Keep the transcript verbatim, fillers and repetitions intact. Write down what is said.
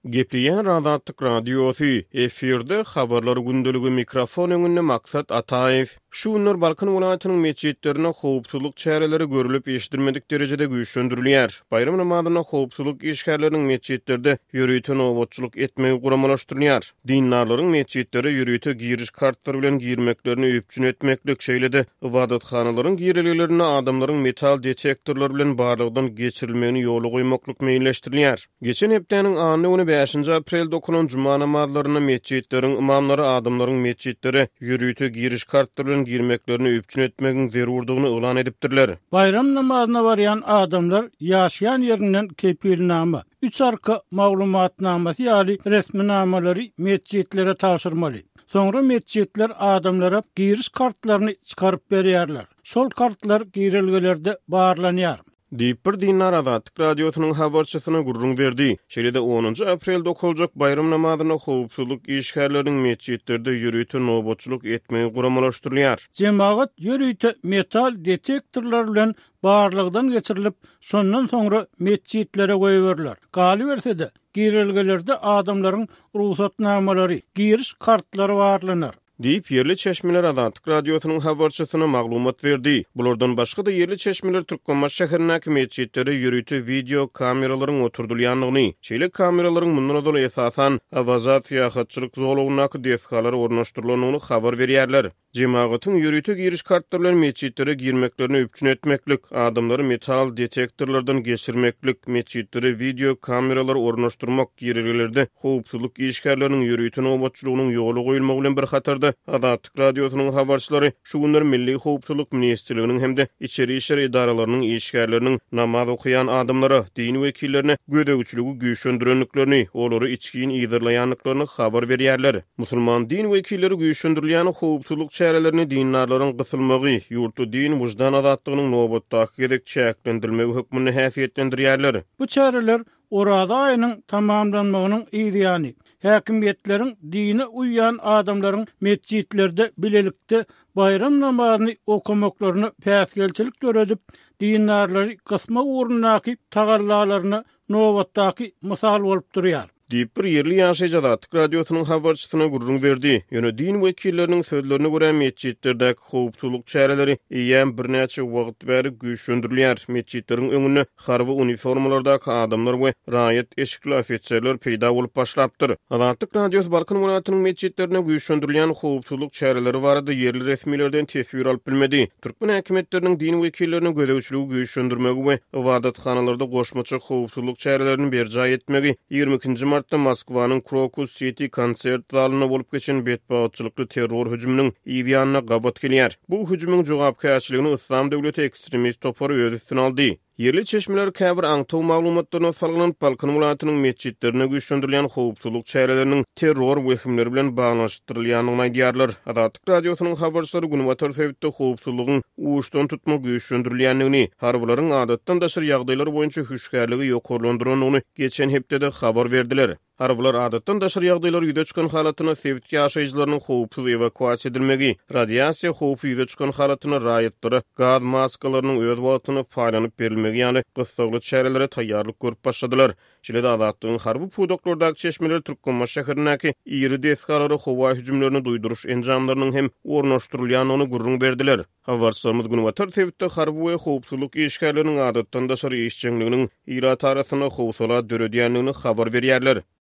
Gepleýär Azatlyk Radiosy, efirde Habarlar gündeligi, mikrofon öňünde Maksat Ataýew. Şu günler Balkan welaýatynyň metjitlerinde howpsuzlyk çäreleri görlüp eşidilmedik derejede güýçlendirilýär. Baýram namazynda howpsuzlyk işgärleriniň metjitlerde ýörite nobatçylyk etmegi guramalaşdyrylýar. Dindarlaryň metjitlere ýörite giriş kartlary bilen girmeklerini üpjün etmeklik, şeýle-de ybadathanalaryň girelgelerinde adamlaryň metal detektorlar bilen barlagdan geçirilmegini ýola goýmaklyk meýilleşdirilýär. Geçen hepdäniň anna güni bäşinji aprelde okalan juma namazlarynda metjitleriň ymamlary adamlaryň metjitlere ýörite giriş kartlary bilen girmeklerini üpjün etmegiň zerurdygyny yglan edipdirler. Baýram namazyna barýan adamlar ýaşaýan ýerinden kepilnama, üç arka maglumatnamasy ýaly resminamalary metjitlere tabşyrmaly. Soňra metjitler adamlara giriş kartlaryny çykaryp berýärler. Şol kartlar girelgelerde barlanýar. Diýip, bir dindar Azatlyk Radiosynyň habarçysyna gürrüň berdi. Şeýle-de onunjy aprelde okaljak baýram namazyna howpsuzlyk işgärleriniň metjitlerde ýörite nobatçylyk etmegi guramalaşdyrylýar. Jemagat ýörite metal detektorlar bilen barlagdan geçirilip, şondan soňra metjitlere goýberiler. Galyberse-de, girelgelerde adamlaryň rugsatnamalary, giriş kartlary barlanar. Diýip, ýerli çeşmeler Azatlyk Radiosynyň habarçysyna maglumat berdi. Bulardan başga-da ýerli çeşmeler Türkmenbaşy şäherindäki metjitlere ýörite wideo kameralaryň oturdylýandygyny, şeýle kameralaryň mundan ozal esasan Awaza syýahatçylyk zolagyndaky desgalara ornaşdyrylandygyny habar berýärler. Jemagatyň ýörite giriş kartlary bilen metjitlere girmeklerini üpjün etmeklik, adamlary metal detektorlardan geçirmeklik, metjitlere wideo kameralary ornaşdyrmak, girelgelerde howpsuzlyk işgärleriniň ýörite nobatçylygynyň ýola goýulmagy bilen bir hatarda Azatlyk Radiosynyň habarçylary şu günler Milli howpsuzlyk ministrliginiň hem-de içeri işler edaralarynyň işgärleriniň namaz okaýan adamlara, din wekillerine gözegçiligi güýçlendirendiklerini, olary içgin yzarlaýandyklaryny habar berýärler. Musulman din wekilleri güýçlendirilýän howpsuzlyk çärelerini dindarlaryň gysylmagy, ýurtda din wyždan azatlygynyň nobatdaky gezek çäklendirilmegi hökmünde häsiýetlendirýärler. Bu çäreler Oraza aýynyň tamamlanmagynyň yzýany, häkimiýetleriň dine uýýan adamlaryň metjitlerde bilelikde baýram namazyny okamaklaryna päsgelçilik döredip, dindarlary gysma ugrundaky tagallalaryna nobatdaky mysal bolup durýar. Diýip, bir ýerli ýaşaýjy Azatlyk Radiosynyň habarçysyna gürrüň berdi. Ýöne din wekilleriniň sözlerine görä, metjitlerdäki howpsuzlyk çäreleri eýýäm birnäçe wagt bäri güýçlendirilýär. Metjitleriň öňünde harby uniformalardaky adamlar we raýat eşikli ofiserler peýda bolup başlapdyr. Azatlyk Radiosy Balkan welaýatynyň metjitlerinde güýçlendirilýän howpsuzlyk çäreleri barada ýerli resmilerden teswir alyp bilmedi. Türkmen häkimiýetleriniň din wekillerine gözegçiligi güýçlendirmegi we ybadathanalarda goşmaça howpsuzlyk çärelerini berjaý etmegi ýigrimi ikinji martda Moskwanyň Krokus Siti konsert zalynda bolup geçen betbagtçylykly terror hüjüminiň yz ýanyna gabat gelýär. Bu hüjümiň jogapkärçiligini Yslam döwleti ekstremist topary öz üstüne aldy. Ýerli çeşmeler käbir aňtaw maglumatlaryna salgylanyp, Balkan welaýatynyň metjitlerinde güýçlendirilýän howpsuzlyk çäreleriniň terror wehimleri bilen baglanyşdyrylýandygyny aýdýarlar. Azatlyk Radiosynyň habarçylary günbatar sebitde howpsuzlygyň uçdan tutma güýçlendirilýändigini, harbylaryň adatdan daşary ýagdaýlar boýunça hüşgärligi ýokarlandyrandygyny geçen hepdede habar berdiler. Harbylar adatdan daşary ýagdaýlar ýüze çykan halatynda sebit ýaşaýjylarynyň howpsuz ewakuasiýa edilmegi, radiasiýa howpy ýüze çykan halatynda raýatlara gaz maskalarynyň öz wagtynda paýlanyp berilmegi ýaly gyssagly çärelere taýýarlyk görüp başladylar. Şeýle-de Azatlygyň harby pudaklardaky çeşmeleri Türkmenbaşy şäherindäki iri desgalara howa hüjümlerini duýduryş enjamlarynyň hem ornaşdyrylýandygyny gürrüň berdiler. Habarçylarymyz günbatar sebitde harby we howpsuzlyk işgärleriniň adatdan daşary işjeňliginiň ilat arasynda howsala döredýändigini habar berýärler.